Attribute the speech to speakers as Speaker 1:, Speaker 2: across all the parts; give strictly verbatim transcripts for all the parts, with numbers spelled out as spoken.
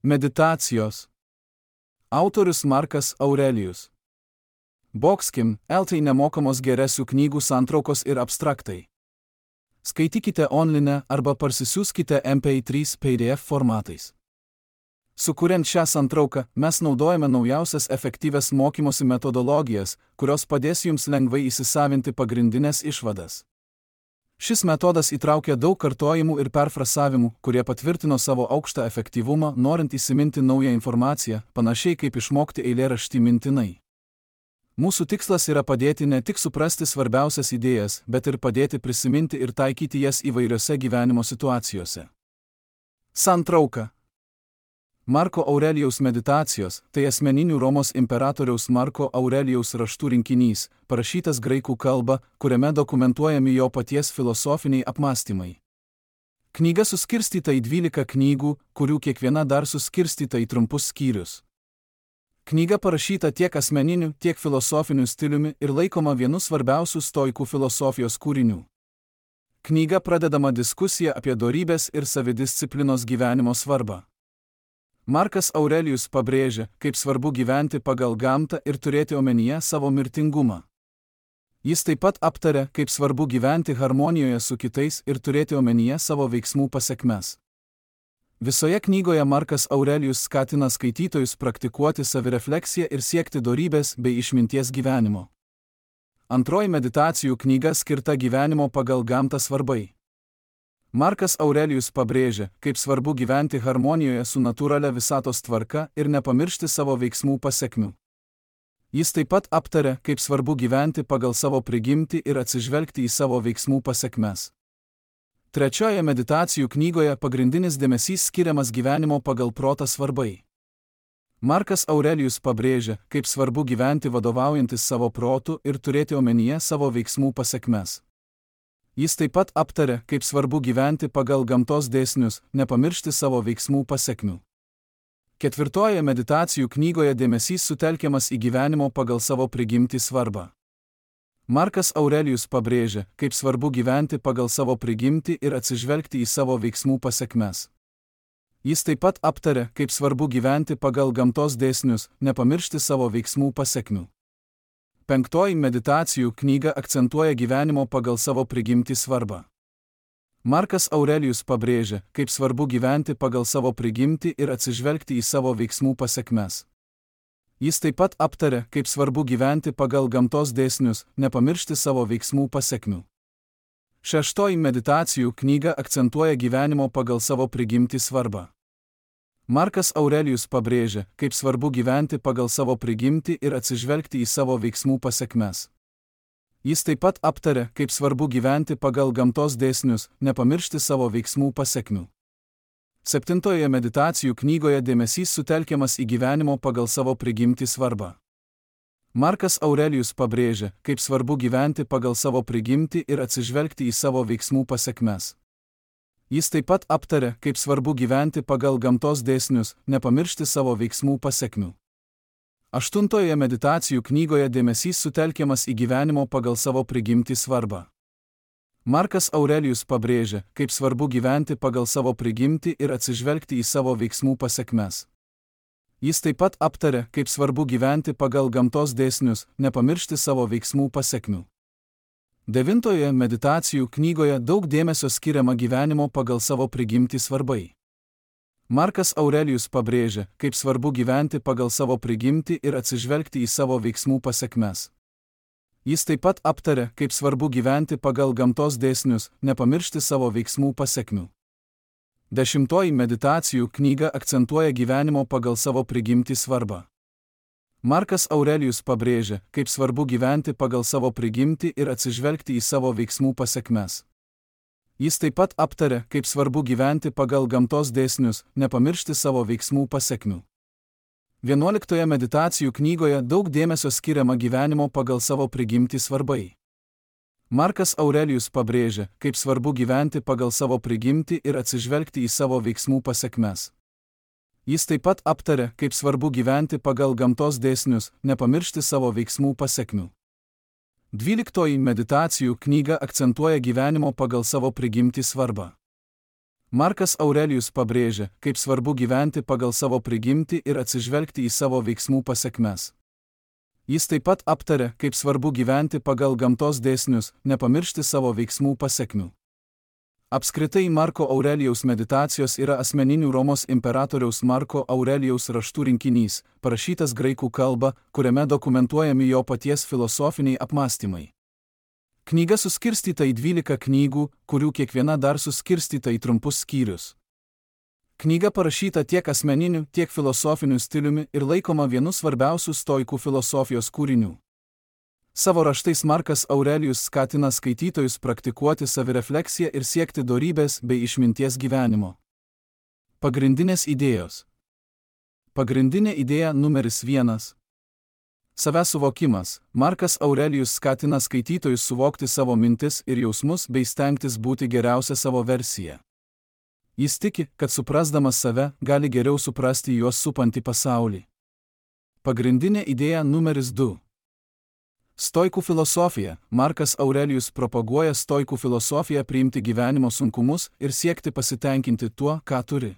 Speaker 1: Meditacijos. Autorius Markas Aurelijus. Boxkim, eltai nemokamos geresių knygų santraukos ir abstraktai. Skaitykite online arba parsisiųskite M P trys P D F formatais. Sukuriant šią santrauką, mes naudojame naujausias efektyvias mokymosi metodologijas, kurios padės jums lengvai įsisavinti pagrindinės išvadas. Šis metodas įtraukia daug kartojimų ir perfrasavimų, kurie patvirtino savo aukštą efektyvumą, norint įsiminti naują informaciją, panašiai kaip išmokti eilėraštį mintinai. Mūsų tikslas yra padėti ne tik suprasti svarbiausias idėjas, bet ir padėti prisiminti ir taikyti jas įvairiose gyvenimo situacijose. Santrauka. Marko Aurelijaus meditacijos – tai asmeninių Romos imperatoriaus Marko Aurelijaus raštų rinkinys, parašytas graikų kalba, kuriame dokumentuojami jo paties filosofiniai apmąstymai. Knyga suskirstyta į dvylika knygų, kurių kiekviena dar suskirstyta į trumpus skyrius. Knyga parašyta tiek asmeniniu, tiek filosofiniu stiliumi ir laikoma vienu svarbiausių stoikų filosofijos kūrinių. Knyga pradedama diskusija apie dorybės ir savidisciplinos gyvenimo svarbą. Markas Aurelijus pabrėžia, kaip svarbu gyventi pagal gamtą ir turėti omenyje savo mirtingumą. Jis taip pat aptaria, kaip svarbu gyventi harmonijoje su kitais ir turėti omenyje savo veiksmų pasekmes. Visoje knygoje Markas Aurelijus skatina skaitytojus praktikuoti savirefleksiją ir siekti dorybės bei išminties gyvenimo. Antroji meditacijų knyga skirta gyvenimo pagal gamtą svarbai. Markas Aurelijus pabrėžia, kaip svarbu gyventi harmonijoje su natūralia visatos tvarka ir nepamiršti savo veiksmų pasekmių. Jis taip pat aptaria, kaip svarbu gyventi pagal savo prigimtį ir atsižvelgti į savo veiksmų pasekmes. Trečioje meditacijų knygoje pagrindinis dėmesys skiriamas gyvenimo pagal protą svarbai. Markas Aurelijus pabrėžia, kaip svarbu gyventi vadovaujantis savo protu ir turėti omenyje savo veiksmų pasekmes. Jis taip pat aptaria, kaip svarbu gyventi pagal gamtos dėsnius, nepamiršti savo veiksmų pasekmių. Ketvirtoje meditacijų knygoje dėmesys sutelkiamas į gyvenimo pagal savo prigimtį svarbą. Markas Aurelijus pabrėžia, kaip svarbu gyventi pagal savo prigimtį ir atsižvelgti į savo veiksmų pasekmes. Jis taip pat aptaria, kaip svarbu gyventi pagal gamtos dėsnius, nepamiršti savo veiksmų pasekmių. Penktoji meditacijų knyga akcentuoja gyvenimo pagal savo prigimtį svarbą. Markas Aurelijus pabrėžia, kaip svarbu gyventi pagal savo prigimtį ir atsižvelgti į savo veiksmų pasekmes. Jis taip pat aptaria, kaip svarbu gyventi pagal gamtos dėsnius, nepamiršti savo veiksmų pasekmių. Šeštoji meditacijų knyga akcentuoja gyvenimo pagal savo prigimtį svarbą. Markas Aurelijus pabrėžia, kaip svarbu gyventi pagal savo prigimtį ir atsižvelgti į savo veiksmų pasekmes. Jis taip pat aptaria, kaip svarbu gyventi pagal gamtos dėsnius, nepamiršti savo veiksmų pasekmių. Septintoje meditacijų knygoje dėmesys sutelkiamas į gyvenimo pagal savo prigimtį svarbą. Markas Aurelijus pabrėžia, kaip svarbu gyventi pagal savo prigimtį ir atsižvelgti į savo veiksmų pasekmes. Jis taip pat aptaria, kaip svarbu gyventi pagal gamtos dėsnius, nepamiršti savo veiksmų pasekmių. Aštuntoje meditacijų knygoje dėmesys sutelkiamas į gyvenimo pagal savo prigimtį svarbą. Markas Aurelijus pabrėžia, kaip svarbu gyventi pagal savo prigimtį ir atsižvelgti į savo veiksmų pasekmes. Jis taip pat aptaria, kaip svarbu gyventi pagal gamtos dėsnius, nepamiršti savo veiksmų pasekmių. Devintoje meditacijų knygoje daug dėmesio skiriama gyvenimo pagal savo prigimtį svarbai. Markas Aurelijus pabrėžia, kaip svarbu gyventi pagal savo prigimtį ir atsižvelgti į savo veiksmų pasekmes. Jis taip pat aptaria, kaip svarbu gyventi pagal gamtos dėsnius, nepamiršti savo veiksmų pasekmių. Dešimtoji meditacijų knyga akcentuoja gyvenimo pagal savo prigimtį svarbą. Markas Aurelijus pabrėžia, kaip svarbu gyventi pagal savo prigimtį ir atsižvelgti į savo veiksmų pasekmes. Jis taip pat aptaria, kaip svarbu gyventi pagal gamtos dėsnius, nepamiršti savo veiksmų pasekmių. Vienuoliktoje meditacijų knygoje daug dėmesio skiriama gyvenimo pagal savo prigimtį svarbai. Markas Aurelijus pabrėžia, kaip svarbu gyventi pagal savo prigimtį ir atsižvelgti į savo veiksmų pasekmes. Jis taip pat aptaria, kaip svarbu gyventi pagal gamtos dėsnius, nepamiršti savo veiksmų pasekmių. Dvyliktoji meditacijų knyga akcentuoja gyvenimo pagal savo prigimtį svarbą. Markas Aurelijus pabrėžia, kaip svarbu gyventi pagal savo prigimtį ir atsižvelgti į savo veiksmų pasekmes. Jis taip pat aptarė, kaip svarbu gyventi pagal gamtos dėsnius, nepamiršti savo veiksmų pasekmių. Apskritai Marko Aurelijaus meditacijos yra asmeninių Romos imperatoriaus Marko Aurelijaus raštų rinkinys, parašytas graikų kalba, kuriame dokumentuojami jo paties filosofiniai apmąstymai. Knyga suskirstyta į dvylika knygų, kurių kiekviena dar suskirstyta į trumpus skyrius. Knyga parašyta tiek asmeniniu, tiek filosofiniu stiliumi ir laikoma vienu svarbiausių stoikų filosofijos kūrinių. Savo raštais Markas Aurelijus skatina skaitytojus praktikuoti savirefleksiją ir siekti dorybės bei išminties gyvenimo. Pagrindinės idėjos. Pagrindinė idėja numeris vienas. Savęs suvokimas. Markas Aurelijus skatina skaitytojus suvokti savo mintis ir jausmus bei stengtis būti geriausia savo versija. Jis tiki, kad suprasdamas save, gali geriau suprasti juos supantį pasaulį. Pagrindinė idėja numeris du. Stoikų filosofija. Markas Aurelijus propaguoja stoikų filosofiją priimti gyvenimo sunkumus ir siekti pasitenkinti tuo, ką turi.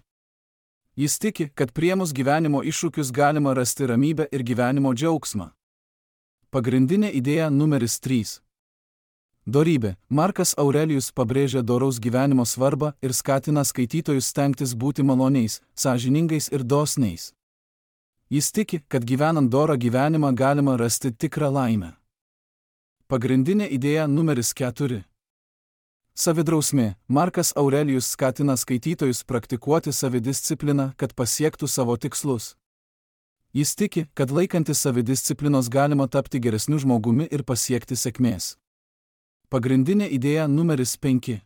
Speaker 1: Jis tiki, kad priėmus gyvenimo iššūkius galima rasti ramybę ir gyvenimo džiaugsmą. Pagrindinė idėja numeris trys. Dorybė. Markas Aurelijus pabrėžia doraus gyvenimo svarbą ir skatina skaitytojus stengtis būti maloniais, sąžiningais ir dosniais. Jis tiki, kad gyvenant dorą gyvenimą galima rasti tikrą laimę. Pagrindinė idėja numeris keturi. Savidrausmė. Markas Aurelijus skatina skaitytojus praktikuoti savidiscipliną, kad pasiektų savo tikslus. Jis tiki, kad laikantis savidisciplinos galima tapti geresniu žmogumi ir pasiekti sėkmės. Pagrindinė idėja numeris penki.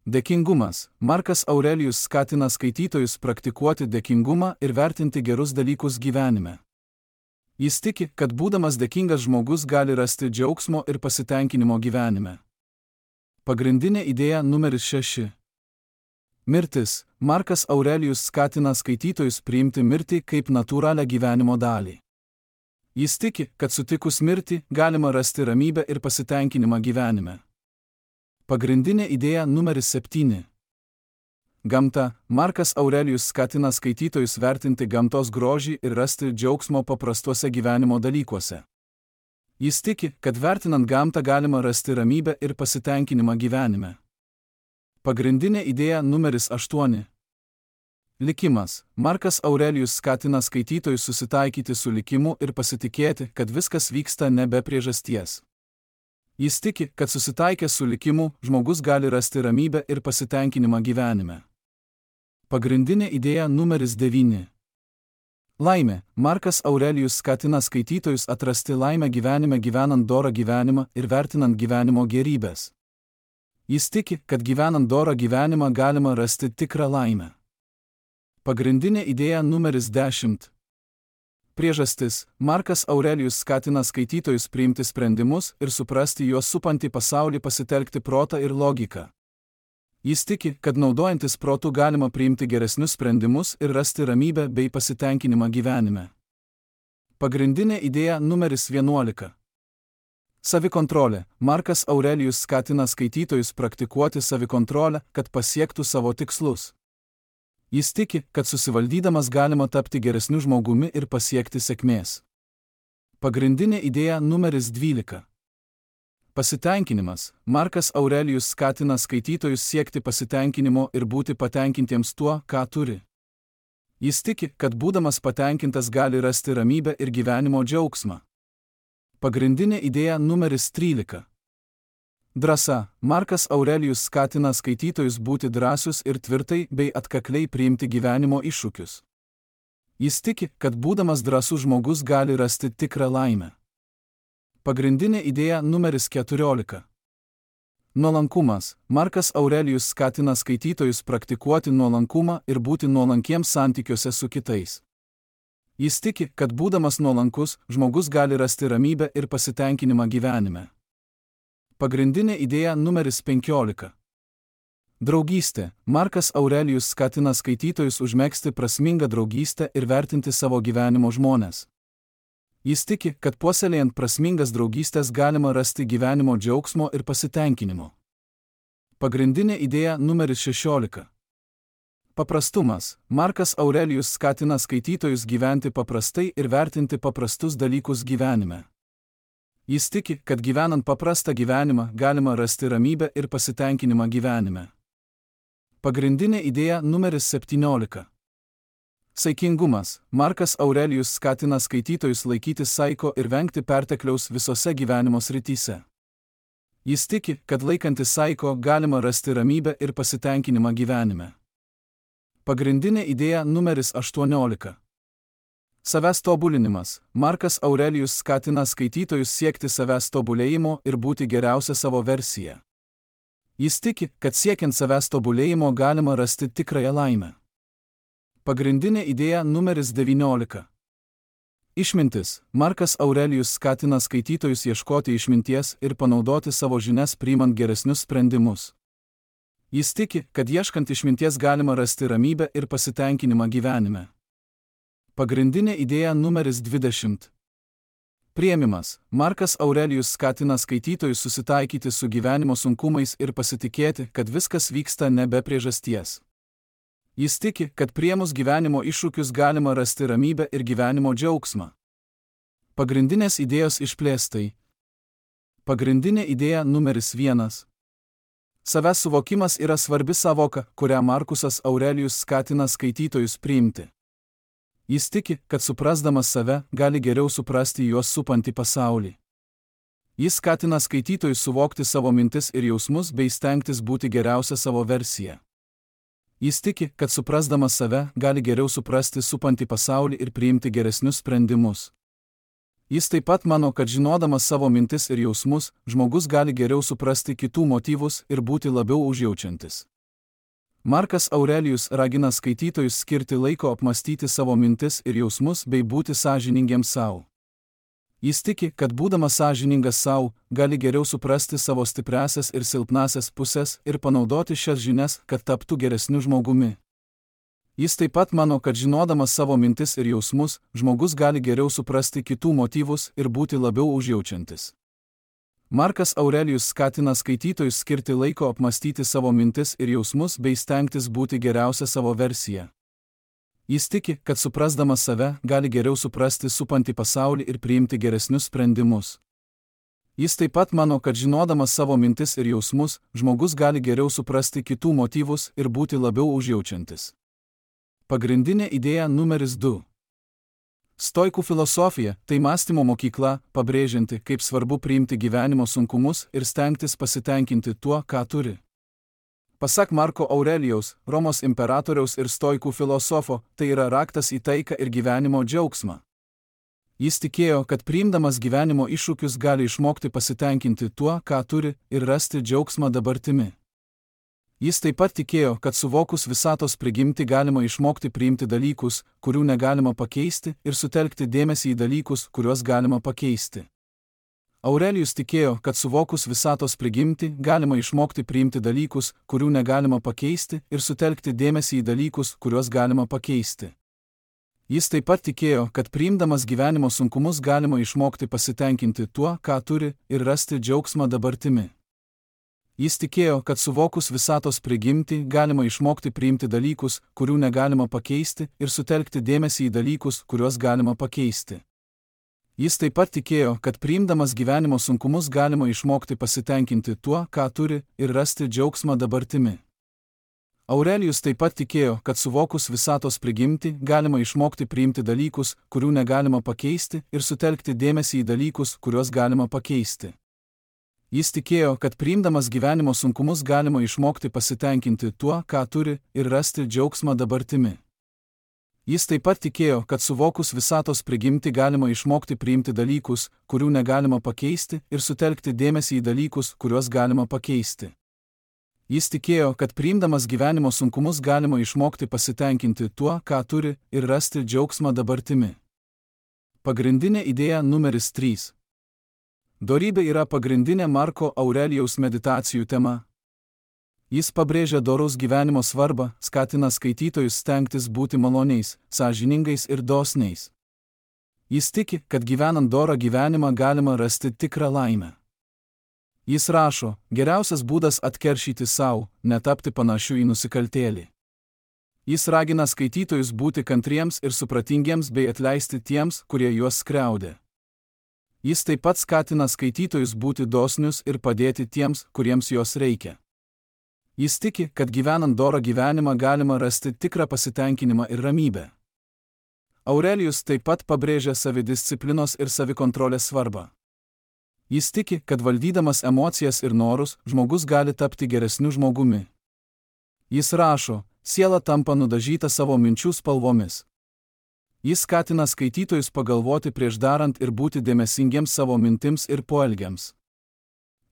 Speaker 1: Dėkingumas. Markas Aurelijus skatina skaitytojus praktikuoti dėkingumą ir vertinti gerus dalykus gyvenime. Jis tiki, kad būdamas dėkingas žmogus gali rasti džiaugsmo ir pasitenkinimo gyvenime. Pagrindinė idėja numeris šeši. Mirtis. Markas Aurelijus skatina skaitytojus priimti mirtį kaip natūralią gyvenimo dalį. Jis tiki, kad sutikus mirtį galima rasti ramybę ir pasitenkinimą gyvenime. Pagrindinė idėja numeris septyni. Gamta. Markas Aurelijus skatina skaitytojus vertinti gamtos grožį ir rasti džiaugsmo paprastuose gyvenimo dalykuose. Jis tiki, kad vertinant gamtą galima rasti ramybę ir pasitenkinimą gyvenime. Pagrindinė idėja numeris aštuoni. Likimas. Markas Aurelijus skatina skaitytojus susitaikyti su likimu ir pasitikėti, kad viskas vyksta ne be priežasties. Jis tiki, kad susitaikęs su likimu, žmogus gali rasti ramybę ir pasitenkinimą gyvenime. Pagrindinė idėja numeris devyni. Laimė. Markas Aurelijus skatina skaitytojus atrasti laimę gyvenime gyvenant dorą gyvenimą ir vertinant gyvenimo gėrybės. Jis tiki, kad gyvenant dorą gyvenimą galima rasti tikrą laimę. Pagrindinė idėja numeris dešimt. Priežastis. Markas Aurelijus skatina skaitytojus priimti sprendimus ir suprasti juos supantį pasaulį, pasitelkti protą ir logiką. Jis tiki, kad naudojantis protu galima priimti geresnius sprendimus ir rasti ramybę bei pasitenkinimą gyvenime. Pagrindinė idėja numeris vienuolika. Savikontrolė. Markas Aurelijus skatina skaitytojus praktikuoti savikontrolę, kad pasiektų savo tikslus. Jis tiki, kad susivaldydamas galima tapti geresniu žmogumi ir pasiekti sėkmės. Pagrindinė idėja numeris dvylika. Pasitenkinimas. Markas Aurelijus skatina skaitytojus siekti pasitenkinimo ir būti patenkintiems tuo, ką turi. Jis tiki, kad būdamas patenkintas gali rasti ramybę ir gyvenimo džiaugsmą. Pagrindinė idėja numeris trylika. Drąsa. Markas Aurelijus skatina skaitytojus būti drąsius ir tvirtai bei atkakliai priimti gyvenimo iššūkius. Jis tiki, kad būdamas drąsus žmogus gali rasti tikrą laimę. Pagrindinė idėja numeris keturiolika. Nuolankumas. Markas Aurelijus skatina skaitytojus praktikuoti nuolankumą ir būti nuolankiems santykiuose su kitais. Jis tiki, kad būdamas nuolankus, žmogus gali rasti ramybę ir pasitenkinimą gyvenime. Pagrindinė idėja numeris penkiolika. Draugystė. Markas Aurelijus skatina skaitytojus užmegzti prasmingą draugystę ir vertinti savo gyvenimo žmones. Jis tiki, kad puoselėjant prasmingas draugystės galima rasti gyvenimo džiaugsmo ir pasitenkinimo. Pagrindinė idėja numeris šešiolika. Paprastumas. Markas Aurelijus skatina skaitytojus gyventi paprastai ir vertinti paprastus dalykus gyvenime. Jis tiki, kad gyvenant paprastą gyvenimą galima rasti ramybę ir pasitenkinimą gyvenime. Pagrindinė idėja numeris septyniolika. Saikingumas. Markas Aurelijus skatina skaitytojus laikytis saiko ir vengti pertekliaus visose gyvenimo srityse. Jis tiki, kad laikantis saiko galima rasti ramybę ir pasitenkinimą gyvenime. Pagrindinė idėja numeris aštuoniolika. Savęs tobulinimas. Markas Aurelijus skatina skaitytojus siekti savęs tobulėjimo ir būti geriausia savo versija. Jis tiki, kad siekiant savęs tobulėjimo galima rasti tikrąją laimę. Pagrindinė idėja numeris devyniolika. Išmintis. Markas Aurelijus skatina skaitytojus ieškoti išminties ir panaudoti savo žinias priimant geresnius sprendimus. Jis tiki, kad ieškant išminties galima rasti ramybę ir pasitenkinimą gyvenime. Pagrindinė idėja numeris dvidešimt. Priėmimas. Markas Aurelijus skatina skaitytojus susitaikyti su gyvenimo sunkumais ir pasitikėti, kad viskas vyksta ne be priežasties. Jis tiki, kad priėmus gyvenimo iššūkius galima rasti ramybę ir gyvenimo džiaugsmą. Pagrindinės idėjos išplėstai. Pagrindinė idėja numeris vienas. Savęs suvokimas yra svarbi savoka, kurią Markusas Aurelijus skatina skaitytojus priimti. Jis tiki, kad suprasdamas save gali geriau suprasti juos supantį pasaulį. Jis skatina skaitytojus suvokti savo mintis ir jausmus bei stengtis būti geriausia savo versija. Jis tiki, kad suprasdamas save gali geriau suprasti supantį pasaulį ir priimti geresnius sprendimus. Jis taip pat mano, kad žinodamas savo mintis ir jausmus, žmogus gali geriau suprasti kitų motyvus ir būti labiau užjaučiantis. Markas Aurelijus ragina skaitytojus skirti laiko apmastyti savo mintis ir jausmus bei būti sąžiningiems savo. Jis tiki, kad būdamas sąžiningas savo, gali geriau suprasti savo stipriasias ir silpnasias pusės ir panaudoti šias žinias, kad taptų geresniu žmogumi. Jis taip pat mano, kad žinodamas savo mintis ir jausmus, žmogus gali geriau suprasti kitų motyvus ir būti labiau užjaučiantis. Markas Aurelijus skatina skaitytojus skirti laiko apmastyti savo mintis ir jausmus bei stengtis būti geriausia savo versija. Jis tiki, kad suprasdamas save gali geriau suprasti supantį pasaulį ir priimti geresnius sprendimus. Jis taip pat mano, kad žinodamas savo mintis ir jausmus, žmogus gali geriau suprasti kitų motyvus ir būti labiau užjaučiantis. Pagrindinė idėja numeris du. Stoikų filosofija – tai mąstymo mokykla, pabrėžianti, kaip svarbu priimti gyvenimo sunkumus ir stengtis pasitenkinti tuo, ką turi. Pasak Marko Aurelijaus, Romos imperatoriaus ir stoikų filosofo, tai yra raktas į taiką ir gyvenimo džiaugsmą. Jis tikėjo, kad priimdamas gyvenimo iššūkius gali išmokti pasitenkinti tuo, ką turi, ir rasti džiaugsmą dabartimi. Jis taip pat tikėjo, kad suvokus visatos prigimtį galima išmokti priimti dalykus, kurių negalima pakeisti, ir sutelkti dėmesį į dalykus, kuriuos galima pakeisti. Aurelijus tikėjo, kad suvokus visatos prigimtį galima išmokti priimti dalykus, kurių negalima pakeisti, ir sutelkti dėmesį į dalykus, kuriuos galima pakeisti. Jis taip pat tikėjo, kad priimdamas gyvenimo sunkumus galima išmokti pasitenkinti tuo, ką turi, ir rasti džiaugsmą dabartimi. Jis tikėjo, kad suvokus visatos prigimtį galima išmokti priimti dalykus, kurių negalima pakeisti, ir sutelkti dėmesį į dalykus, kuriuos galima pakeisti. Jis taip pat tikėjo, kad priimdamas gyvenimo sunkumus galima išmokti pasitenkinti tuo, ką turi, ir rasti džiaugsmą dabartimi. Aurelijus taip pat tikėjo, kad suvokus visatos prigimtį galima išmokti priimti dalykus, kurių negalima pakeisti, ir sutelkti dėmesį į dalykus, kuriuos galima pakeisti. Jis tikėjo, kad priimdamas gyvenimo sunkumus galima išmokti pasitenkinti tuo, ką turi, ir rasti džiaugsmą dabartimi. Jis taip pat tikėjo, kad suvokus visatos prigimtį galima išmokti priimti dalykus, kurių negalima pakeisti, ir sutelkti dėmesį į dalykus, kuriuos galima pakeisti. Jis tikėjo, kad priimdamas gyvenimo sunkumus galima išmokti pasitenkinti tuo, ką turi, ir rasti džiaugsmą dabartimi. Pagrindinė idėja numeris trys. Dorybė yra pagrindinė Marko Aurelijaus meditacijų tema. Jis pabrėžia doraus gyvenimo svarbą, skatina skaitytojus stengtis būti maloniais, sąžiningais ir dosniais. Jis tiki, kad gyvenant dorą gyvenimą galima rasti tikrą laimę. Jis rašo, geriausias būdas atkeršyti sau, netapti panašiu į nusikaltėlį. Jis ragina skaitytojus būti kantriems ir supratingiems bei atleisti tiems, kurie juos skriaudė. Jis taip pat skatina skaitytojus būti dosnius ir padėti tiems, kuriems jos reikia. Jis tiki, kad gyvenant dorą gyvenimą galima rasti tikrą pasitenkinimą ir ramybę. Aurelijus taip pat pabrėžia savidisciplinos ir savikontrolės svarbą. Jis tiki, kad valdydamas emocijas ir norus, žmogus gali tapti geresniu žmogumi. Jis rašo, siela tampa nudažyta savo minčių spalvomis. Jis skatina skaitytojus pagalvoti prieš darant ir būti dėmesingiems savo mintims ir poelgiams.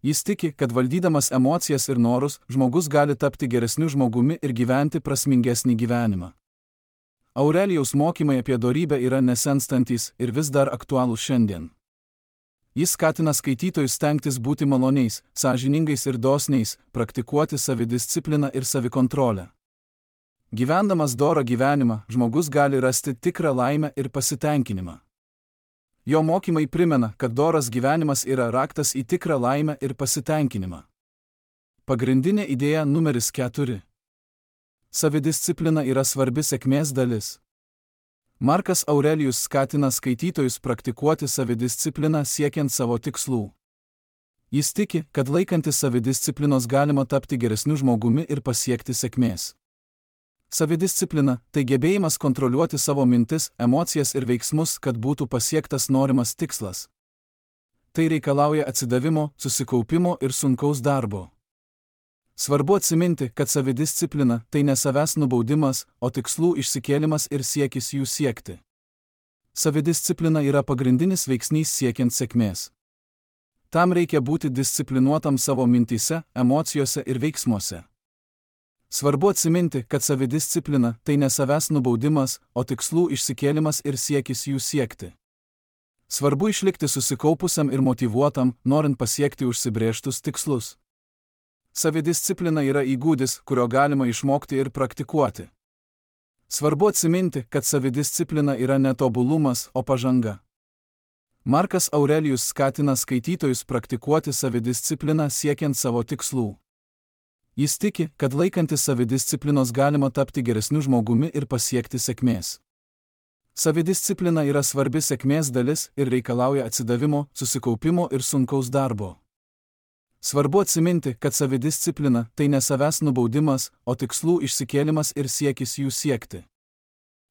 Speaker 1: Jis tiki, kad valdydamas emocijas ir norus, žmogus gali tapti geresniu žmogumi ir gyventi prasmingesnį gyvenimą. Aurelijaus mokymai apie dorybę yra nesenstantys ir vis dar aktualūs šiandien. Jis skatina skaitytojus stengtis būti maloniais, sąžiningais ir dosniais, praktikuoti savidiscipliną ir savikontrolę. Gyvendamas dorą gyvenimą, žmogus gali rasti tikrą laimę ir pasitenkinimą. Jo mokymai primena, kad doras gyvenimas yra raktas į tikrą laimę ir pasitenkinimą. Pagrindinė idėja numeris keturi. Savidisciplina yra svarbi sėkmės dalis. Markas Aurelijus skatina skaitytojus praktikuoti savidiscipliną siekiant savo tikslų. Jis tiki, kad laikantis savidisciplinos galima tapti geresniu žmogumi ir pasiekti sėkmės. Savidisciplina – tai gebėjimas kontroliuoti savo mintis, emocijas ir veiksmus, kad būtų pasiektas norimas tikslas. Tai reikalauja atsidavimo, susikaupimo ir sunkaus darbo. Svarbu atsiminti, kad savidisciplina – tai ne savęs nubaudimas, o tikslų išsikėlimas ir siekis jų siekti. Savidisciplina yra pagrindinis veiksnys siekiant sėkmės. Tam reikia būti disciplinuotam savo mintyse, emocijose ir veiksmuose. Svarbu atsiminti, kad savidisciplina – tai ne savęs nubaudimas, o tikslų išsikėlimas ir siekis jų siekti. Svarbu išlikti susikaupusiam ir motyvuotam, norint pasiekti užsibrėžtus tikslus. Savidisciplina yra įgūdis, kurio galima išmokti ir praktikuoti. Svarbu atsiminti, kad savidisciplina yra ne tobulumas, o pažanga. Markas Aurelijus skatina skaitytojus praktikuoti savidiscipliną siekiant savo tikslų. Jis tiki, kad laikantis savidisciplinos galima tapti geresniu žmogumi ir pasiekti sėkmės. Savidisciplina yra svarbi sėkmės dalis ir reikalauja atsidavimo, susikaupimo ir sunkaus darbo. Svarbu atsiminti, kad savidisciplina – tai ne savęs nubaudimas, o tikslų išsikėlimas ir siekis jų siekti.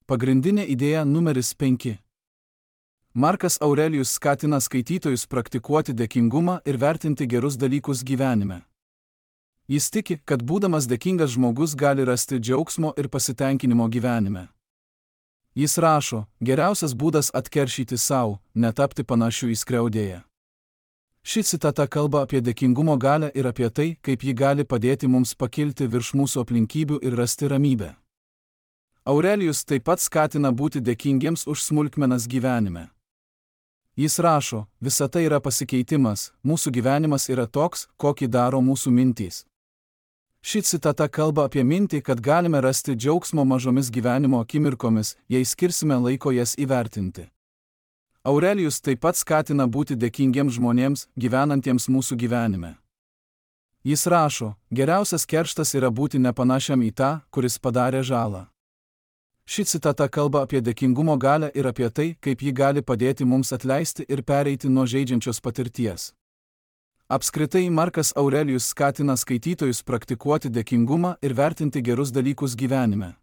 Speaker 1: Pagrindinė idėja numeris penki. Markas Aurelijus skatina skaitytojus praktikuoti dėkingumą ir vertinti gerus dalykus gyvenime. Jis tiki, kad būdamas dėkingas žmogus gali rasti džiaugsmo ir pasitenkinimo gyvenime. Jis rašo, geriausias būdas atkeršyti savo, netapti panašių į skriaudėją. Ši citata kalba apie dėkingumo galią ir apie tai, kaip ji gali padėti mums pakilti virš mūsų aplinkybių ir rasti ramybę. Aurelijus taip pat skatina būti dėkingiems už smulkmenas gyvenime. Jis rašo, visa tai yra pasikeitimas, mūsų gyvenimas yra toks, kokį daro mūsų mintys. Ši citata kalba apie mintį, kad galime rasti džiaugsmo mažomis gyvenimo akimirkomis, jei skirsime laiko jas įvertinti. Aurelijus taip pat skatina būti dėkingiems žmonėms, gyvenantiems mūsų gyvenime. Jis rašo, geriausias kerštas yra būti nepanašiam į tą, kuris padarė žalą. Ši citata kalba apie dėkingumo galią ir apie tai, kaip ji gali padėti mums atleisti ir pereiti nuo žeidžiančios patirties. Apskritai, Markas Aurelijus skatina skaitytojus praktikuoti dėkingumą ir vertinti gerus dalykus gyvenime.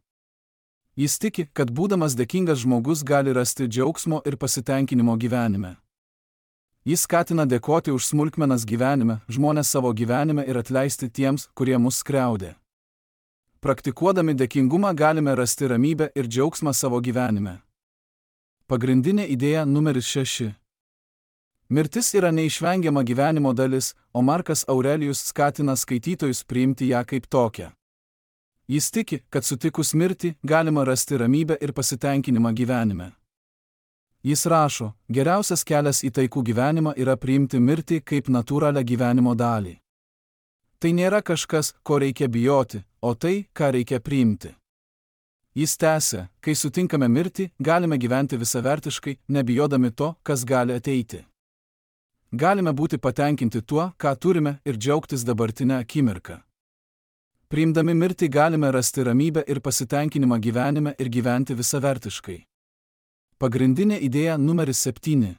Speaker 1: Jis tiki, kad būdamas dėkingas žmogus gali rasti džiaugsmo ir pasitenkinimo gyvenime. Jis skatina dėkoti už smulkmenas gyvenime, žmones savo gyvenime ir atleisti tiems, kurie mus skriaudė. Praktikuodami dėkingumą galime rasti ramybę ir džiaugsmą savo gyvenime. Pagrindinė idėja numeris šeši. Mirtis yra neišvengiama gyvenimo dalis, o Markas Aurelijus skatina skaitytojus priimti ją kaip tokią. Jis tiki, kad sutikus mirtį galima rasti ramybę ir pasitenkinimą gyvenime. Jis rašo, geriausias kelias į taikų gyvenimą yra priimti mirtį kaip natūralią gyvenimo dalį. Tai nėra kažkas, ko reikia bijoti, o tai, ką reikia priimti. Jis tęsia, kai sutinkame mirtį, galime gyventi visavertiškai, nebijodami to, kas gali ateiti. Galime būti patenkinti tuo, ką turime ir džiaugtis dabartinę akimirką. Priimdami mirtį galime rasti ramybę ir pasitenkinimą gyvenime ir gyventi visavertiškai. Pagrindinė idėja numeris septyni.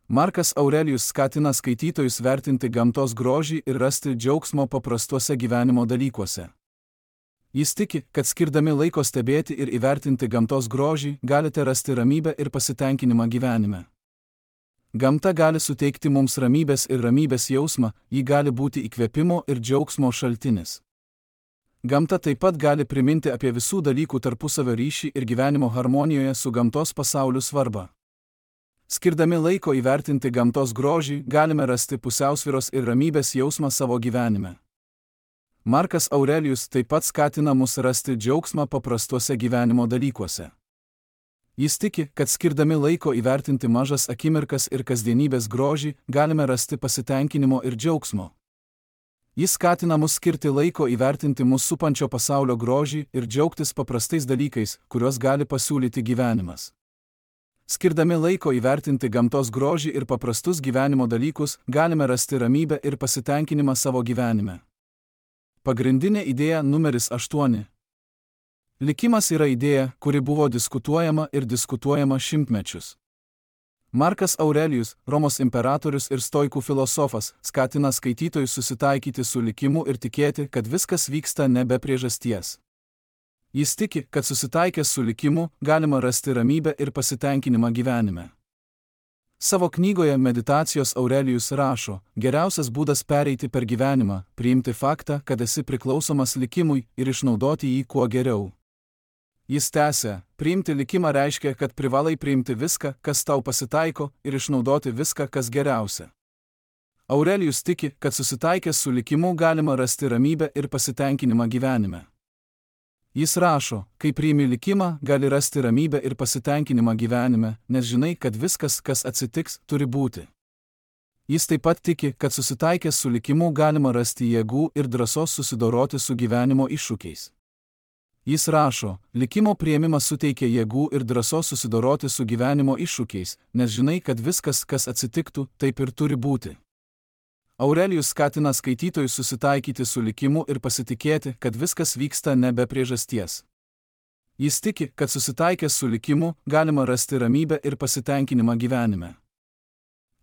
Speaker 1: Markas Aurelijus skatina skaitytojus vertinti gamtos grožį ir rasti džiaugsmo paprastuose gyvenimo dalykuose. Jis tiki, kad skirdami laiko stebėti ir įvertinti gamtos grožį, galite rasti ramybę ir pasitenkinimą gyvenime. Gamta gali suteikti mums ramybės ir ramybės jausmą, ji gali būti įkvėpimo ir džiaugsmo šaltinis. Gamta taip pat gali priminti apie visų dalykų tarpusavio ryšį ir gyvenimo harmonijoje su gamtos pasauliu svarbą. Skirdami laiko įvertinti gamtos grožį, galime rasti pusiausvyros ir ramybės jausmą savo gyvenime. Markas Aurelijus taip pat skatina mus rasti džiaugsmą paprastuose gyvenimo dalykuose. Jis tiki, kad skirdami laiko įvertinti mažas akimirkas ir kasdienybės grožį, galime rasti pasitenkinimo ir džiaugsmo. Jis skatina mus skirti laiko įvertinti mus supančio pasaulio grožį ir džiaugtis paprastais dalykais, kuriuos gali pasiūlyti gyvenimas. Skirdami laiko įvertinti gamtos grožį ir paprastus gyvenimo dalykus, galime rasti ramybę ir pasitenkinimą savo gyvenime. Pagrindinė idėja numeris aštuoni. Likimas yra idėja, kuri buvo diskutuojama ir diskutuojama šimtmečius. Markas Aurelijus, Romos imperatorius ir stoikų filosofas, skatina skaitytojus susitaikyti su likimu ir tikėti, kad viskas vyksta ne be priežasties. Jis tiki, kad susitaikęs su likimu galima rasti ramybę ir pasitenkinimą gyvenime. Savo knygoje Meditacijos Aurelijus rašo, geriausias būdas pereiti per gyvenimą, priimti faktą, kad esi priklausomas likimui ir išnaudoti jį kuo geriau. Jis tęsia, priimti likimą reiškia, kad privalai priimti viską, kas tau pasitaiko, ir išnaudoti viską, kas geriausia. Aurelijus tiki, kad susitaikęs su likimu galima rasti ramybę ir pasitenkinimą gyvenime. Jis rašo, kai priimi likimą, gali rasti ramybę ir pasitenkinimą gyvenime, nes žinai, kad viskas, kas atsitiks, turi būti. Jis taip pat tiki, kad susitaikęs su likimu galima rasti jėgų ir drąsos susidoroti su gyvenimo iššūkiais. Jis rašo, likimo priėmimas suteikia jėgų ir drąsos susidoroti su gyvenimo iššūkiais, nes žinai, kad viskas, kas atsitiktų, taip ir turi būti. Aurelijus skatina skaitytojus susitaikyti su likimu ir pasitikėti, kad viskas vyksta ne be priežasties. Jis tiki, kad susitaikęs su likimu galima rasti ramybę ir pasitenkinimą gyvenime.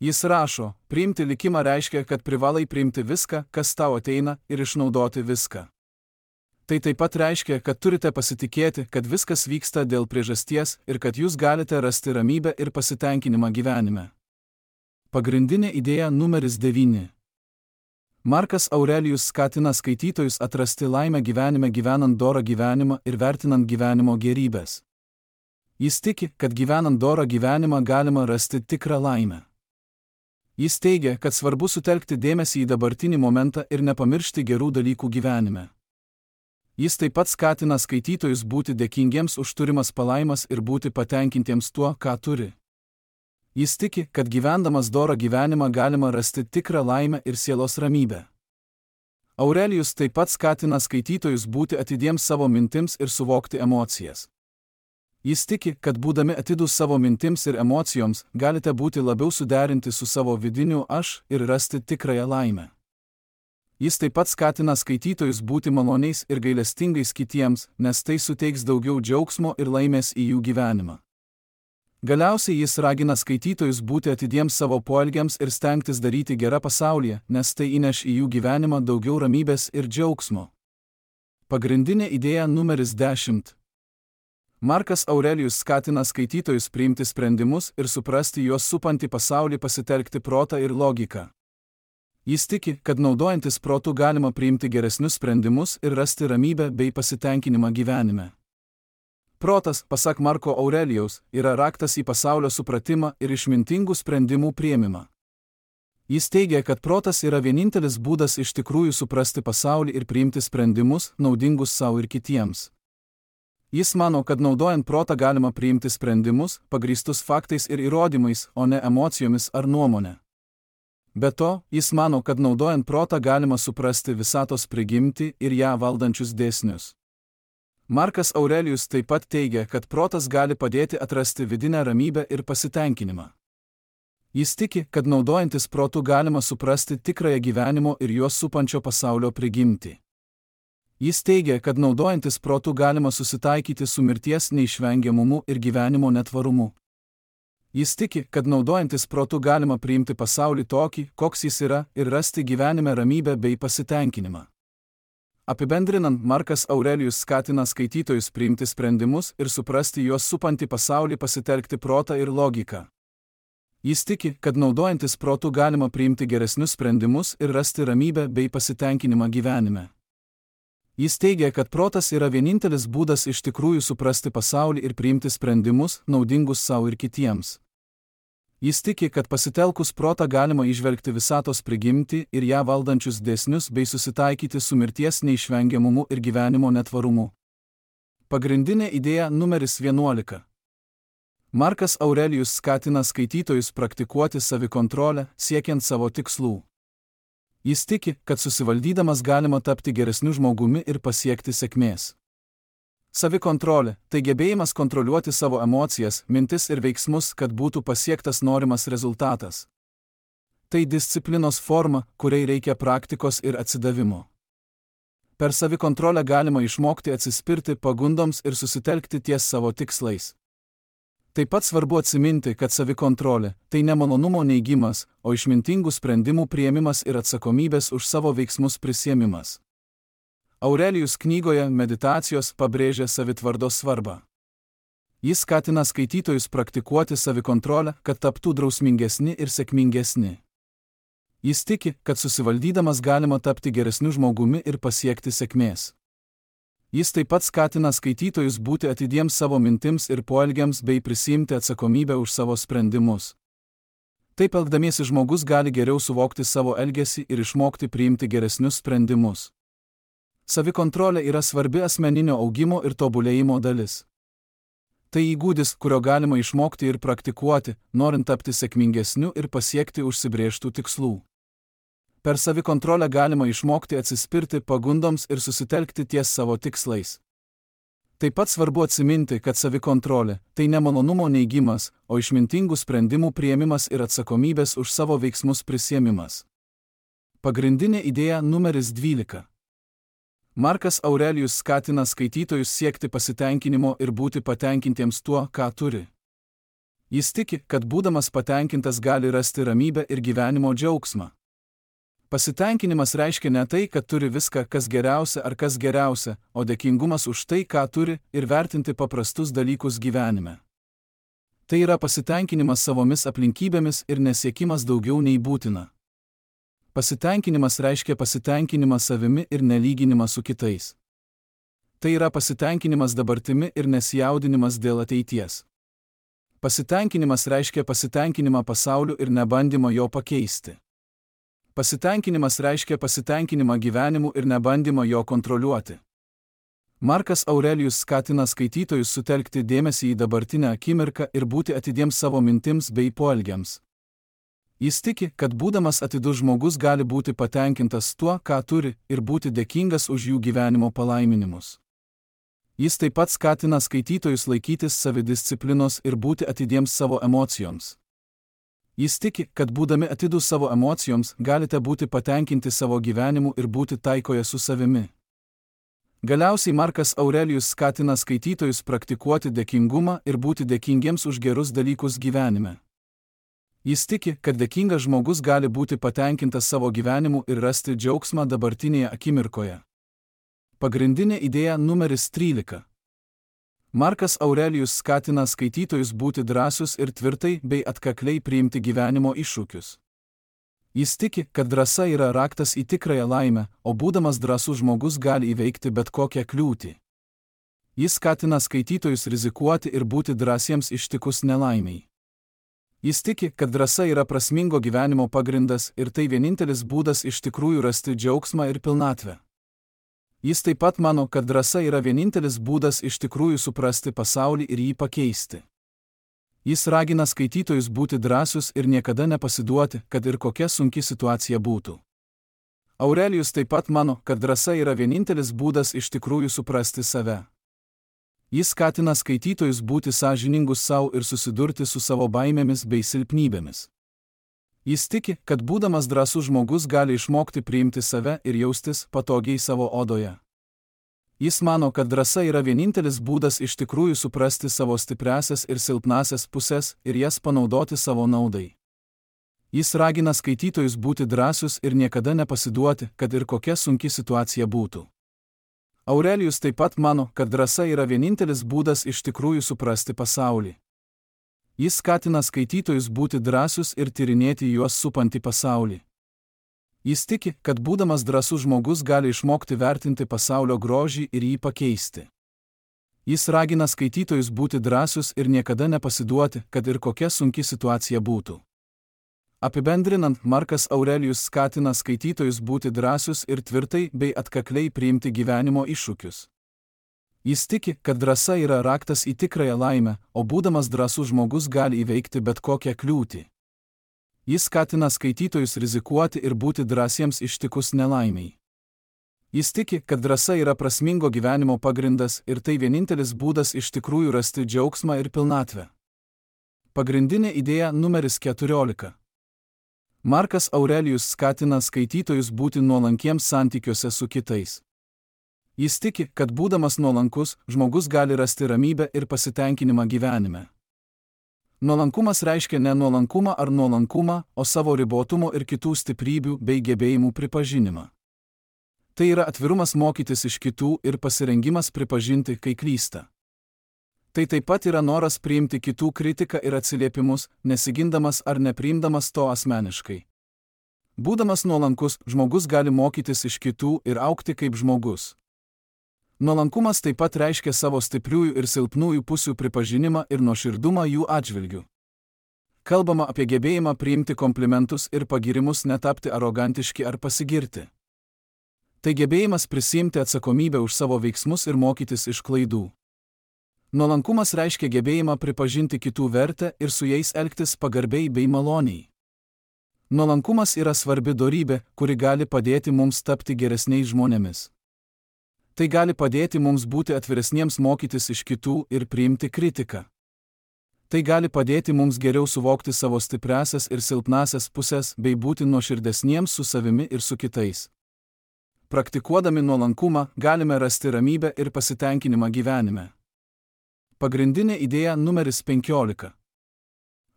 Speaker 1: Jis rašo, priimti likimą reiškia, kad privalai priimti viską, kas tau ateina, ir išnaudoti viską. Tai taip pat reiškia, kad turite pasitikėti, kad viskas vyksta dėl priežasties ir kad jūs galite rasti ramybę ir pasitenkinimą gyvenime. Pagrindinė idėja numeris devyni. Markas Aurelijus skatina skaitytojus atrasti laimę gyvenime gyvenant dorą gyvenimą ir vertinant gyvenimo gėrybes. Jis tiki, kad gyvenant dorą gyvenimą galima rasti tikrą laimę. Jis teigia, kad svarbu sutelkti dėmesį į dabartinį momentą ir nepamiršti gerų dalykų gyvenime. Jis taip pat skatina skaitytojus būti dėkingiems už turimas palaimas ir būti patenkintiems tuo, ką turi. Jis tiki, kad gyvendamas dorą gyvenimą galima rasti tikrą laimę ir sielos ramybę. Aurelijus taip pat skatina skaitytojus būti atidiems savo mintims ir suvokti emocijas. Jis tiki, kad būdami atidūs savo mintims ir emocijoms, galite būti labiau suderinti su savo vidiniu aš ir rasti tikrąją laimę. Jis taip pat skatina skaitytojus būti maloniais ir gailestingais kitiems, nes tai suteiks daugiau džiaugsmo ir laimės į jų gyvenimą. Galiausiai jis ragina skaitytojus būti atidiems savo poelgiams ir stengtis daryti gerą pasaulyje, nes tai įneš į jų gyvenimą daugiau ramybės ir džiaugsmo. Pagrindinė idėja numeris dešimt. Markas Aurelijus skatina skaitytojus priimti sprendimus ir suprasti juos supantį pasaulį pasitelkti protą ir logiką. Jis tiki, kad naudojantis protu galima priimti geresnius sprendimus ir rasti ramybę bei pasitenkinimą gyvenime. Protas, pasak Marko Aurelijaus, yra raktas į pasaulio supratimą ir išmintingų sprendimų priėmimą. Jis teigia, kad protas yra vienintelis būdas iš tikrųjų suprasti pasaulį ir priimti sprendimus, naudingus savo ir kitiems. Jis mano, kad naudojant protą galima priimti sprendimus, pagrįstus faktais ir įrodymais, o ne emocijomis ar nuomonė. Be to, jis mano, kad naudojant protą galima suprasti visatos prigimtį ir ją valdančius dėsnius. Markas Aurelijus taip pat teigia, kad protas gali padėti atrasti vidinę ramybę ir pasitenkinimą. Jis tiki, kad naudojantis protu galima suprasti tikrąją gyvenimo ir juos supančio pasaulio prigimtį. Jis teigia, kad naudojantis protu galima susitaikyti su mirties neišvengiamumu ir gyvenimo netvarumu. Jis tiki, kad naudojantis protu galima priimti pasaulį tokį, koks jis yra, ir rasti gyvenime ramybę bei pasitenkinimą. Apibendrinant, Markas Aurelijus skatina skaitytojus priimti sprendimus ir suprasti juos supantį pasaulį, pasitelkti protą ir logiką. Jis tiki, kad naudojantis protu galima priimti geresnius sprendimus ir rasti ramybę bei pasitenkinimą gyvenime. Jis teigia, kad protas yra vienintelis būdas iš tikrųjų suprasti pasaulį ir priimti sprendimus, naudingus savo ir kitiems. Jis tiki, kad pasitelkus protą galima įžvelgti visatos prigimtį ir ją valdančius dėsnius bei susitaikyti su mirties neišvengiamumu ir gyvenimo netvarumu. Pagrindinė idėja numeris vienuolika. Markas Aurelijus skatina skaitytojus praktikuoti savikontrolę, siekiant savo tikslų. Jis tiki, kad susivaldydamas galima tapti geresniu žmogumi ir pasiekti sėkmės. Savikontrolė – tai gebėjimas kontroliuoti savo emocijas, mintis ir veiksmus, kad būtų pasiektas norimas rezultatas. Tai disciplinos forma, kuriai reikia praktikos ir atsidavimo. Per savikontrolę galima išmokti atsispirti pagundoms ir susitelkti ties savo tikslais. Taip pat svarbu atsiminti, kad savikontrolė – tai ne malonumo neigimas, o išmintingų sprendimų priėmimas ir atsakomybės už savo veiksmus prisiėmimas. Aurelijus knygoje Meditacijos pabrėžia savitvardos svarbą. Jis skatina skaitytojus praktikuoti savikontrolę, kad taptų drausmingesni ir sėkmingesni. Jis tiki, kad susivaldydamas galima tapti geresniu žmogumi ir pasiekti sėkmės. Jis taip pat skatina skaitytojus būti atidiems savo mintims ir poelgiams bei prisiimti atsakomybę už savo sprendimus. Taip elgdamiesi žmogus gali geriau suvokti savo elgesį ir išmokti priimti geresnius sprendimus. Savikontrolė yra svarbi asmeninio augimo ir tobulėjimo dalis. Tai įgūdis, kurio galima išmokti ir praktikuoti, norint tapti sėkmingesniu ir pasiekti užsibrėžtų tikslų. Per savikontrolę galima išmokti atsispirti pagundoms ir susitelkti ties savo tikslais. Taip pat svarbu atsiminti, kad savikontrolė – tai ne malonumo neigimas, o išmintingų sprendimų priėmimas ir atsakomybės už savo veiksmus prisiėmimas. Pagrindinė idėja numeris dvylika. Markas Aurelijus skatina skaitytojus siekti pasitenkinimo ir būti patenkintiems tuo, ką turi. Jis tiki, kad būdamas patenkintas gali rasti ramybę ir gyvenimo džiaugsmą. Pasitenkinimas reiškia ne tai, kad turi viską, kas geriausia ar kas geriausia, o dėkingumas už tai, ką turi, ir vertinti paprastus dalykus gyvenime. Tai yra pasitenkinimas savomis aplinkybėmis ir nesiekimas daugiau nei būtina. Pasitenkinimas reiškia pasitenkinimą savimi ir nelyginimą su kitais. Tai yra pasitenkinimas dabartimi ir nesijaudinimas dėl ateities. Pasitenkinimas reiškia pasitenkinimą pasauliu ir nebandymą jo pakeisti. Pasitenkinimas reiškia pasitenkinimą gyvenimu ir nebandymą jo kontroliuoti. Markas Aurelijus skatina skaitytojus sutelkti dėmesį į dabartinę akimirką ir būti atidiems savo mintims bei poelgiams. Jis tiki, kad būdamas atidus žmogus gali būti patenkintas tuo, ką turi, ir būti dėkingas už jų gyvenimo palaiminimus. Jis taip pat skatina skaitytojus laikytis savidisciplinos ir būti atidiems savo emocijoms. Jis tiki, kad būdami atidus savo emocijoms, galite būti patenkinti savo gyvenimu ir būti taikoje su savimi. Galiausiai Markas Aurelijus skatina skaitytojus praktikuoti dėkingumą ir būti dėkingiems už gerus dalykus gyvenime. Jis tiki, kad dėkingas žmogus gali būti patenkintas savo gyvenimu ir rasti džiaugsmą dabartinėje akimirkoje. Pagrindinė idėja numeris trylika. Markas Aurelijus skatina skaitytojus būti drąsius ir tvirtai bei atkakliai priimti gyvenimo iššūkius. Jis tiki, kad drąsa yra raktas į tikrąją laimę, o būdamas drąsus žmogus gali įveikti bet kokią kliūtį. Jis skatina skaitytojus rizikuoti ir būti drąsiems ištikus nelaimiai. Jis tiki, kad drąsa yra prasmingo gyvenimo pagrindas ir tai vienintelis būdas iš tikrųjų rasti džiaugsmą ir pilnatvę. Jis taip pat mano, kad drąsa yra vienintelis būdas iš tikrųjų suprasti pasaulį ir jį pakeisti. Jis ragina skaitytojus būti drąsius ir niekada nepasiduoti, kad ir kokia sunki situacija būtų. Aurelijus taip pat mano, kad drąsa yra vienintelis būdas iš tikrųjų suprasti save. Jis skatina skaitytojus būti sąžiningus savo ir susidurti su savo baimėmis bei silpnybėmis. Jis tiki, kad būdamas drąsus žmogus gali išmokti priimti save ir jaustis patogiai savo odoje. Jis mano, kad drąsa yra vienintelis būdas iš tikrųjų suprasti savo stipriasias ir silpnasias pusės ir jas panaudoti savo naudai. Jis ragina skaitytojus būti drąsius ir niekada nepasiduoti, kad ir kokia sunki situacija būtų. Aurelijus taip pat mano, kad drąsa yra vienintelis būdas iš tikrųjų suprasti pasaulį. Jis skatina skaitytojus būti drąsius ir tyrinėti juos supantį pasaulį. Jis tiki, kad būdamas drąsus žmogus gali išmokti vertinti pasaulio grožį ir jį pakeisti. Jis ragina skaitytojus būti drąsius ir niekada nepasiduoti, kad ir kokia sunki situacija būtų. Apibendrinant, Markas Aurelijus skatina skaitytojus būti drąsius ir tvirtai bei atkakliai priimti gyvenimo iššūkius. Jis tiki, kad drąsa yra raktas į tikrąją laimę, o būdamas drąsus žmogus gali įveikti bet kokią kliūtį. Jis skatina skaitytojus rizikuoti ir būti drąsiems ištikus nelaimiai. Jis tiki, kad drąsa yra prasmingo gyvenimo pagrindas ir tai vienintelis būdas iš tikrųjų rasti džiaugsmą ir pilnatvę. Pagrindinė idėja numeris keturiolika. Markas Aurelijus skatina skaitytojus būti nuolankiems santykiuose su kitais. Jis tiki, kad būdamas nuolankus, žmogus gali rasti ramybę ir pasitenkinimą gyvenime. Nuolankumas reiškia ne nuolankumą ar nuolankumą, o savo ribotumo ir kitų stiprybių bei gebėjimų pripažinimą. Tai yra atvirumas mokytis iš kitų ir pasirengimas pripažinti, kai klysta. Tai taip pat yra noras priimti kitų kritiką ir atsiliepimus, nesigindamas ar nepriimdamas to asmeniškai. Būdamas nuolankus, žmogus gali mokytis iš kitų ir augti kaip žmogus. Nuolankumas taip pat reiškia savo stipriųjų ir silpnųjų pusių pripažinimą ir nuoširdumą jų atžvilgiu. Kalbama apie gebėjimą priimti komplimentus ir pagirimus, netapti arogantiški ar pasigirti. Tai gebėjimas prisiimti atsakomybę už savo veiksmus ir mokytis iš klaidų. Nuolankumas reiškia gebėjimą pripažinti kitų vertę ir su jais elgtis pagarbiai bei maloniai. Nuolankumas yra svarbi dorybė, kuri gali padėti mums tapti geresniais žmonėmis. Tai gali padėti mums būti atviresniems mokytis iš kitų ir priimti kritiką. Tai gali padėti mums geriau suvokti savo stipriasias ir silpnasias pusės bei būti nuoširdesniems su savimi ir su kitais. Praktikuodami nuolankumą galime rasti ramybę ir pasitenkinimą gyvenime. Pagrindinė idėja numeris penkiolika.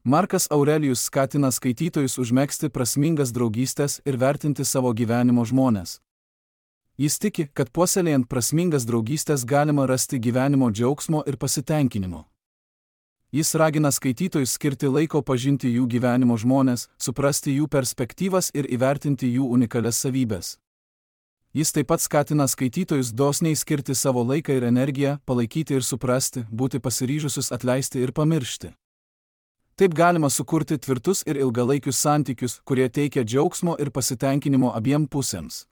Speaker 1: Markas Aurelijus skatina skaitytojus užmegzti prasmingas draugystės ir vertinti savo gyvenimo žmones. Jis tiki, kad puoselėjant prasmingas draugystės galima rasti gyvenimo džiaugsmo ir pasitenkinimo. Jis ragina skaitytojus skirti laiko pažinti jų gyvenimo žmones, suprasti jų perspektyvas ir įvertinti jų unikalias savybes. Jis taip pat skatina skaitytojus dosniai skirti savo laiką ir energiją, palaikyti ir suprasti, būti pasiryžusius atleisti ir pamiršti. Taip galima sukurti tvirtus ir ilgalaikius santykius, kurie teikia džiaugsmo ir pasitenkinimo abiem pusėms.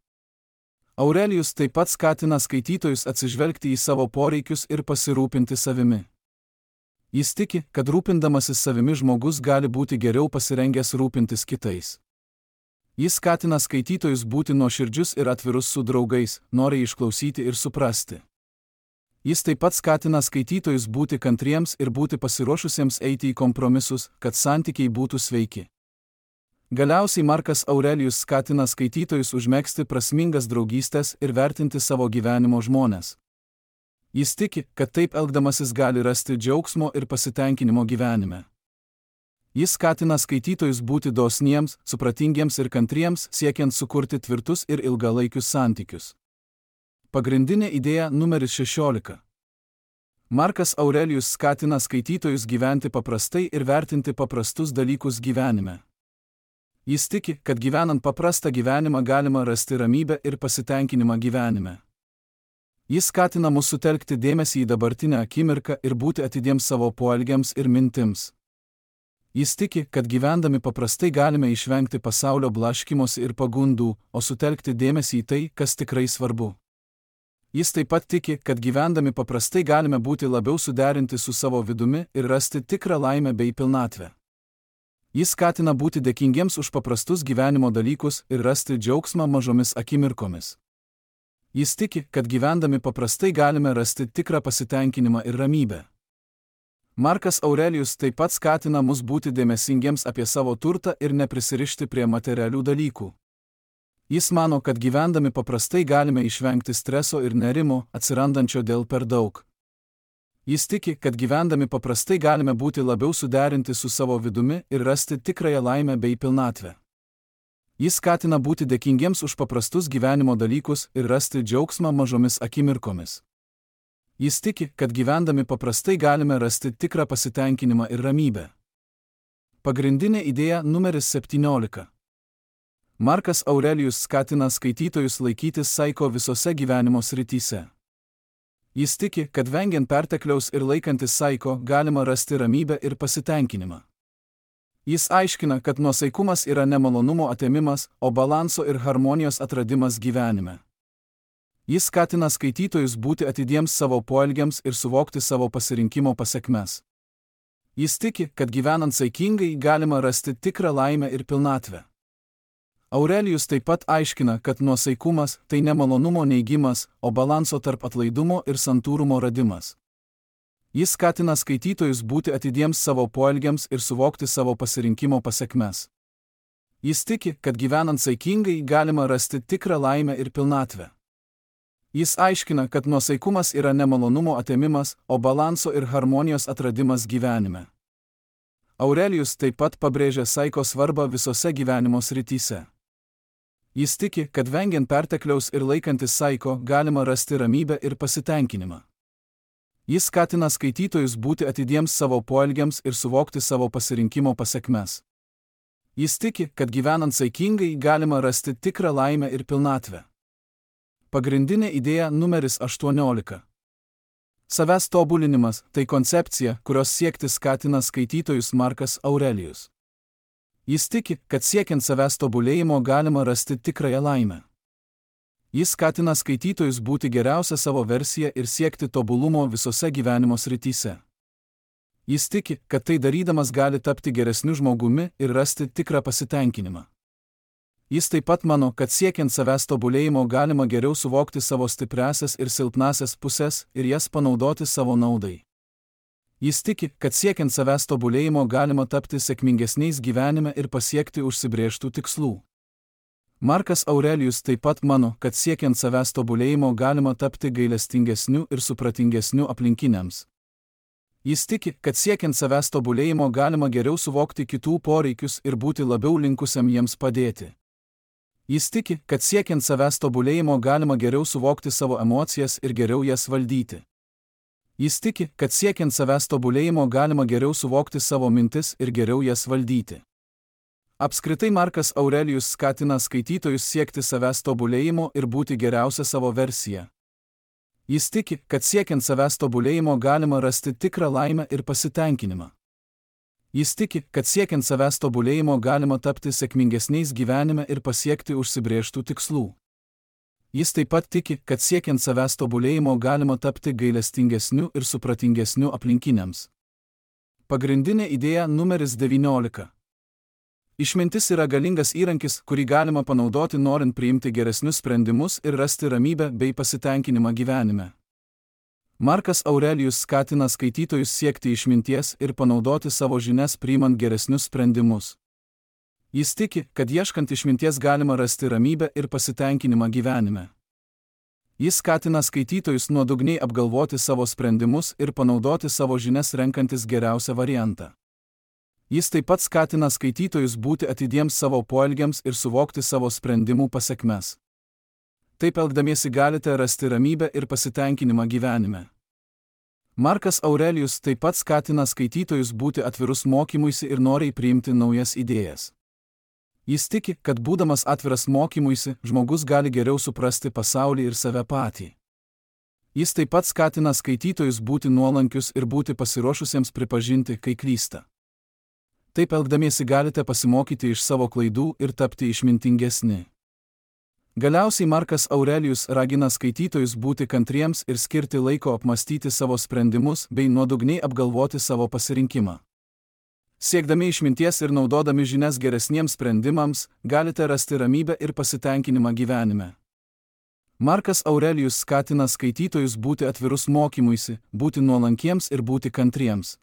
Speaker 1: Aurelijus taip pat skatina skaitytojus atsižvelgti į savo poreikius ir pasirūpinti savimi. Jis tiki, kad rūpindamasis savimi žmogus gali būti geriau pasirengęs rūpintis kitais. Jis skatina skaitytojus būti nuoširdžius ir atvirus su draugais, noriai išklausyti ir suprasti. Jis taip pat skatina skaitytojus būti kantriems ir būti pasiruošusiems eiti į kompromisus, kad santykiai būtų sveiki. Galiausiai Markas Aurelijus skatina skaitytojus užmegzti prasmingas draugystės ir vertinti savo gyvenimo žmones. Jis tiki, kad taip elgdamasis gali rasti džiaugsmo ir pasitenkinimo gyvenime. Jis skatina skaitytojus būti dosniems, supratingiems ir kantriems, siekiant sukurti tvirtus ir ilgalaikius santykius. Pagrindinė idėja numeris šešiolika. Markas Aurelijus skatina skaitytojus gyventi paprastai ir vertinti paprastus dalykus gyvenime. Jis tiki, kad gyvenant paprastą gyvenimą galima rasti ramybę ir pasitenkinimą gyvenime. Jis skatina mus sutelkti dėmesį į dabartinę akimirką ir būti atidiems savo poelgiams ir mintims. Jis tiki, kad gyvendami paprastai galime išvengti pasaulio blaškymosi ir pagundų, o sutelkti dėmesį į tai, kas tikrai svarbu. Jis taip pat tiki, kad gyvendami paprastai galime būti labiau suderinti su savo vidumi ir rasti tikrą laimę bei pilnatvę. Jis skatina būti dėkingiems už paprastus gyvenimo dalykus ir rasti džiaugsmą mažomis akimirkomis. Jis tiki, kad gyvendami paprastai galime rasti tikrą pasitenkinimą ir ramybę. Markas Aurelijus taip pat skatina mus būti dėmesingiems apie savo turtą ir neprisirišti prie materialių dalykų. Jis mano, kad gyvendami paprastai galime išvengti streso ir nerimo, atsirandančio dėl per daug. Jis tiki, kad gyvendami paprastai galime būti labiau suderinti su savo vidumi ir rasti tikrąją laimę bei pilnatvę. Jis skatina būti dėkingiems už paprastus gyvenimo dalykus ir rasti džiaugsmą mažomis akimirkomis. Jis tiki, kad gyvendami paprastai galime rasti tikrą pasitenkinimą ir ramybę. Pagrindinė idėja numeris septyniolika. Markas Aurelijus skatina skaitytojus laikytis saiko visose gyvenimo srityse. Jis tiki, kad vengiant pertekliaus ir laikantis saiko galima rasti ramybę ir pasitenkinimą. Jis aiškina, kad nuosaikumas yra ne malonumo atėmimas, o balanso ir harmonijos atradimas gyvenime. Jis skatina skaitytojus būti atidiems savo poelgiams ir suvokti savo pasirinkimo pasekmes. Jis tiki, kad gyvenant saikingai galima rasti tikrą laimę ir pilnatvę. Aurelijus taip pat aiškina, kad nuosaikumas tai ne malonumo neigimas, o balanso tarp atlaidumo ir santūrumo radimas. Jis skatina skaitytojus būti atidiems savo poelgiams ir suvokti savo pasirinkimo pasekmes. Jis tiki, kad gyvenant saikingai galima rasti tikrą laimę ir pilnatvę. Jis aiškina, kad nuosaikumas yra ne malonumo atėmimas, o balanso ir harmonijos atradimas gyvenime. Aurelijus taip pat pabrėžia saiko svarbą visose gyvenimo srityse. Jis tiki, kad vengiant pertekliaus ir laikantis saiko galima rasti ramybę ir pasitenkinimą. Jis skatina skaitytojus būti atidiems savo poelgiams ir suvokti savo pasirinkimo pasekmes. Jis tiki, kad gyvenant saikingai galima rasti tikrą laimę ir pilnatvę. Pagrindinė idėja numeris aštuoniolika. Savęs tobulinimas tai koncepcija, kurios siekti skatina skaitytojus Markas Aurelijus. Jis tiki, kad siekiant savęs tobulėjimo galima rasti tikrąją laimę. Jis skatina skaitytojus būti geriausia savo versija ir siekti tobulumo visose gyvenimo srityse. Jis tiki, kad tai darydamas gali tapti geresniu žmogumi ir rasti tikrą pasitenkinimą. Jis taip pat mano, kad siekiant savęs tobulėjimo galima geriau suvokti savo stipriasias ir silpnasias pusės ir jas panaudoti savo naudai. Jis tiki, kad siekiant savęs tobulėjimo galima tapti sėkmingesniais gyvenime ir pasiekti užsibrėžtų tikslų. Markas Aurelijus taip pat mano, kad siekiant savęs tobulėjimo galima tapti gailestingesniu ir supratingesniu aplinkiniams. Jis tiki, kad siekiant savęs tobulėjimo galima geriau suvokti kitų poreikius ir būti labiau linkusiam jiems padėti. Jis tiki, kad siekiant savęs tobulėjimo galima geriau suvokti savo emocijas ir geriau jas valdyti. Jis tiki, kad siekiant savęs tobulėjimo galima geriau suvokti savo mintis ir geriau jas valdyti. Apskritai Markas Aurelijus skatina skaitytojus siekti savęs tobulėjimo ir būti geriausia savo versija. Jis tiki, kad siekiant savęs tobulėjimo galima rasti tikrą laimę ir pasitenkinimą. Jis tiki, kad siekiant savęs tobulėjimo galima tapti sėkmingesniais gyvenime ir pasiekti užsibrėžtų tikslų. Jis taip pat tiki, kad siekiant savęs tobulėjimo galima tapti gailestingesniu ir supratingesniu aplinkiniams. Pagrindinė idėja numeris devyniolika. Išmintis yra galingas įrankis, kurį galima panaudoti norint priimti geresnius sprendimus ir rasti ramybę bei pasitenkinimą gyvenime. Markas Aurelijus skatina skaitytojus siekti išminties ir panaudoti savo žinias priimant geresnius sprendimus. Jis tiki, kad ieškant išminties galima rasti ramybę ir pasitenkinimą gyvenime. Jis skatina skaitytojus nuodugniai apgalvoti savo sprendimus ir panaudoti savo žinias renkantis geriausią variantą. Jis taip pat skatina skaitytojus būti atidiems savo poelgiams ir suvokti savo sprendimų pasekmes. Taip elgdamiesi galite rasti ramybę ir pasitenkinimą gyvenime. Markas Aurelijus taip pat skatina skaitytojus būti atvirus mokymuisi ir noriai priimti naujas idėjas. Jis tiki, kad būdamas atviras mokymuisi, žmogus gali geriau suprasti pasaulį ir save patį. Jis taip pat skatina skaitytojus būti nuolankius ir būti pasiruošusiems pripažinti, kai klysta. Taip elgdamiesi galite pasimokyti iš savo klaidų ir tapti išmintingesni. Galiausiai Markas Aurelijus ragina skaitytojus būti kantriems ir skirti laiko apmastyti savo sprendimus bei nuodugniai apgalvoti savo pasirinkimą. Siekdami išminties ir naudodami žinias geresniems sprendimams, galite rasti ramybę ir pasitenkinimą gyvenime. Markas Aurelijus skatina skaitytojus būti atvirus mokymuisi, būti nuolankiems ir būti kantriems.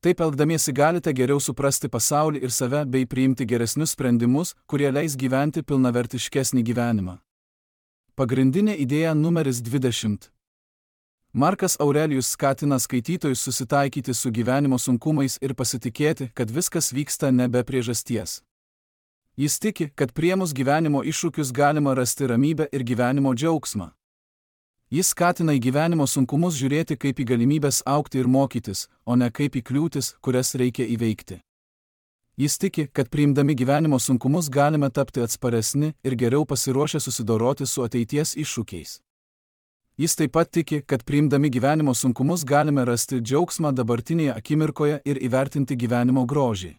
Speaker 1: Taip elgdamiesi galite geriau suprasti pasaulį ir save bei priimti geresnius sprendimus, kurie leis gyventi pilnavertiškesnį gyvenimą. Pagrindinė idėja numeris dvidešimt. Markas Aurelijus skatina skaitytojus susitaikyti su gyvenimo sunkumais ir pasitikėti, kad viskas vyksta ne be priežasties. Jis tiki, kad priėmus gyvenimo iššūkius galima rasti ramybę ir gyvenimo džiaugsmą. Jis skatina į gyvenimo sunkumus žiūrėti kaip į galimybės augti ir mokytis, o ne kaip į kliūtis, kurias reikia įveikti. Jis tiki, kad priimdami gyvenimo sunkumus galime tapti atsparesni ir geriau pasiruošę susidoroti su ateities iššūkiais. Jis taip pat tiki, kad priimdami gyvenimo sunkumus galime rasti džiaugsmą dabartinėje akimirkoje ir įvertinti gyvenimo grožį.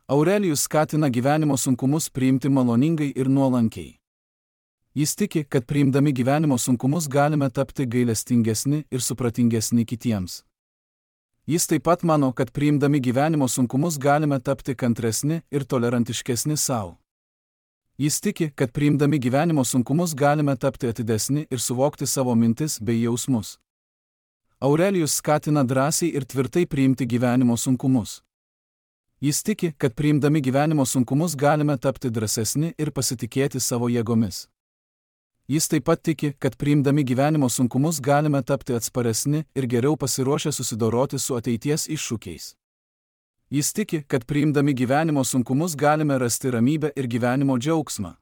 Speaker 1: Aurelijus skatina gyvenimo sunkumus priimti maloningai ir nuolankiai. Jis tiki, kad priimdami gyvenimo sunkumus galime tapti gailestingesni ir supratingesni kitiems. Jis taip pat mano, kad priimdami gyvenimo sunkumus galime tapti kantresni ir tolerantiškesni savo. Jis tiki, kad priimdami gyvenimo sunkumus galime tapti atidesni ir suvokti savo mintis bei jausmus. Aurelijus skatina drąsiai ir tvirtai priimti gyvenimo sunkumus. Jis tiki, kad priimdami gyvenimo sunkumus galime tapti drąsesni ir pasitikėti savo jėgomis. Jis taip pat tiki, kad priimdami gyvenimo sunkumus galime tapti atsparesni ir geriau pasiruošę susidoroti su ateities iššūkiais. Jis tiki, kad priimdami gyvenimo sunkumus galime rasti ramybę ir gyvenimo džiaugsmą.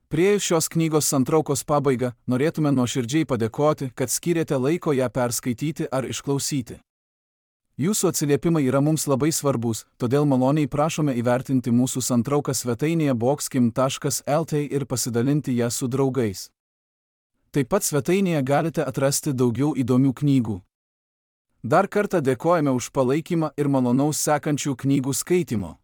Speaker 1: Priėjus šios knygos santraukos pabaigą, norėtume nuoširdžiai padėkoti, kad skyrėte laiko ją perskaityti ar išklausyti. Jūsų atsiliepimai yra mums labai svarbus, todėl maloniai prašome įvertinti mūsų santrauką svetainėje boxkim taškas el t ir pasidalinti ją su draugais. Taip pat svetainėje galite atrasti daugiau įdomių knygų. Dar kartą dėkojame už palaikymą ir malonaus sekančių knygų skaitimo.